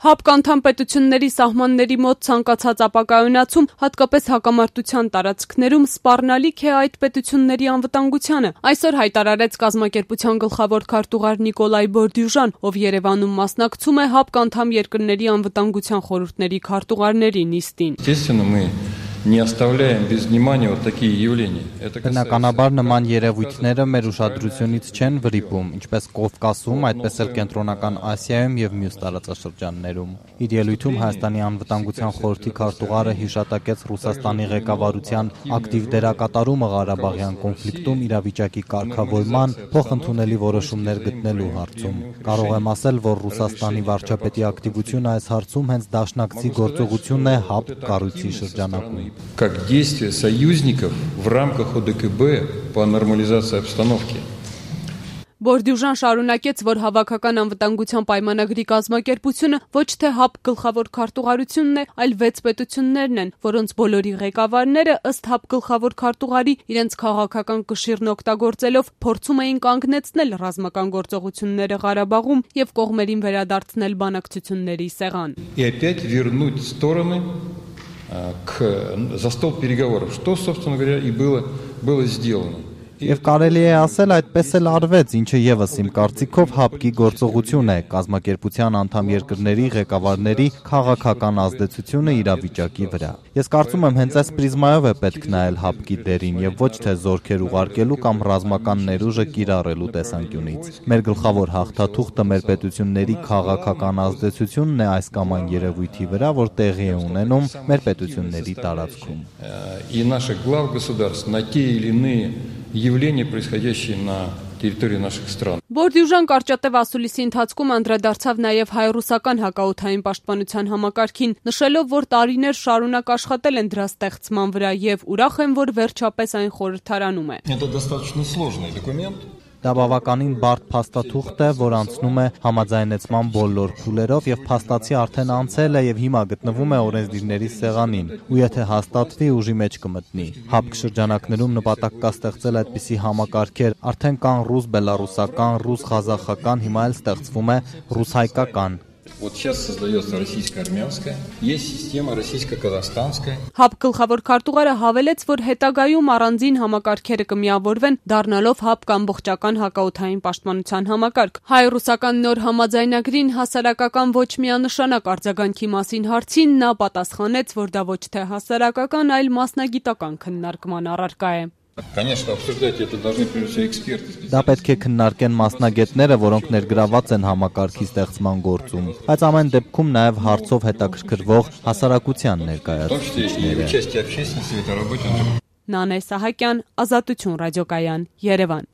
ՀԱՊԿ անդամ պետությունների սահմանների մոտ ցանկացած ապակայունացում, հատկապես հակամարտության տարածքներում, սպառնալիք է այդ պետությունների անվտանգությանը։ Այսօր հայտարարեց կազմակերպության գլխավոր քարտուղար Նիկոլայ Բորդյուժան, ով Երևանում մասնակցում է ՀԱՊԿ անդամ երկրների անվտանգության խորհուրդների քարտուղարների նիստին։ Բնականաբար նման երևույթները մեր ուշադրությունից չեն վրիպում, ինչպես Կովկասում, այդպես էլ Կենտրոնական Ասիայում եւ մյուս տարածաշրջաններում։ Իր ելույթում Հայաստանի անվտանգության խորհրդի քարտուղարը հիշատակեց Ռուսաստանի ղեկավարության ակտիվ դերակատարումը Ղարաբաղյան կոնֆլիկտում իրավիճակի կարգավորման, փոխընդունելի որոշումներ գտնելու հարցում։ Կարող եմ ասել, որ Ռուսաստանի վարչապետի ակտիվությունը այս հարցում հենց դաշնակցի գործողությունն է ՀԱՊԿ կառույցի շրջանակում։ Как действия союзников в рамках ОДКБ по нормализации обстановки. Բորդյուժան շարունակեց, որ հավաքական անվտանգության պայմանագրի կազմակերպությունը ոչ թե ՀԱՊԿ գլխավոր քարտուղարությունն է, այլ 6 պետություններն են, որոնց բոլորի ղեկավարները ըստ ՀԱՊԿ գլխավոր քարտուղարի իրենց քաղաքական կշիռն օգտագործելով փորձում էին կանգնեցնել ռազմական գործողությունները Ղարաբաղում եւ կողմերին վերադարձնել բանակցությունների սեղան։ За стол переговоров, что, собственно говоря, и было сделано. Եվ կարելի է ասել այդպես էլ արվեց, ինչը եւս իմ կարծիքով ՀԱՊԿ-ի գործողություն է, կազմակերպության անդամ երկրների ղեկավարների քաղաքական ազդեցությունը իրավիճակի վրա։ Ես կարծում եմ հենց այս պրիզմայով է պետք նայել ՀԱՊԿ-ի դերին եւ ոչ թե զորքեր ուղարկելու կամ ռազմական ներուժը կիրառելու տեսանկյունից։ Մեր գլխավոր հաղթաթուղթը մեր պետությունների քաղաքական ազդեցությունն է այս կամ այն երևույթի վրա, որ տեղի է ունենում մեր պետությունների տարածքում։ И наших глав государств на те или иные явления, происходящие на территории наших стран. Բորդյուժան կարճատև ասուլիսի ընթացքում անդրադարձավ նաև հայ-ռուսական հակաօդային պաշտպանության համակարգին, նշելով, որ տարիներ շարունակ աշխատել են դրա ստեղծման վրա եւ ուրախ են, որ վերջապես այն խորհրդարանում է։ Это достаточно сложный документ. Դա բավականին բարդ փաստաթուղթ է, որ անցնում է համաձայնեցման բոլոր փուլերով եւ փաստացի արդեն անցել է եւ հիմա գտնվում է օրենսդիրների սեղանին, ու եթե հաստատվի, ուժի մեջ կմտնի։ ՀԱՊԿ շրջանակներում նպատակ կա ստեղծել այդպիսի համակարգեր, արդեն կան ռուս-բելարուսական, ռուս-ղազախական, հիմա էլ ստեղծվում է ռուս-հայկական։ Вот сейчас создается российско-армянская, есть система российско-казахстанская. ՀԱՊԿ գլխավոր քարտուղարը հավելեց, որ հետագայում առանձին համակարգերը կմիավորվեն, դառնալով ՀԱՊԿ ամբողջական հակաօդային պաշտպանության համակարգ։ Հայ-ռուսական նոր համաձայնագրին հասարակական ոչ միանշանակ արձագանքի մասին հարցին նա պատասխանեց, որ դա ոչ թե հասարակական, այլ մասնագիտական քննարկման առարկա է։ Конечно, обсуждать это должны прежде всего эксперты. Դա պետք է քննարկեն մասնագետները, որոնք ներգրաված են համակարգի ստեղծման գործում, բայց ամեն դեպքում նաև հարցով հետաքրքրվող հասարակության ներկայացուցիչները։ Նանե Սահակյան, Ազատություն ռադիոկայան, Երևան։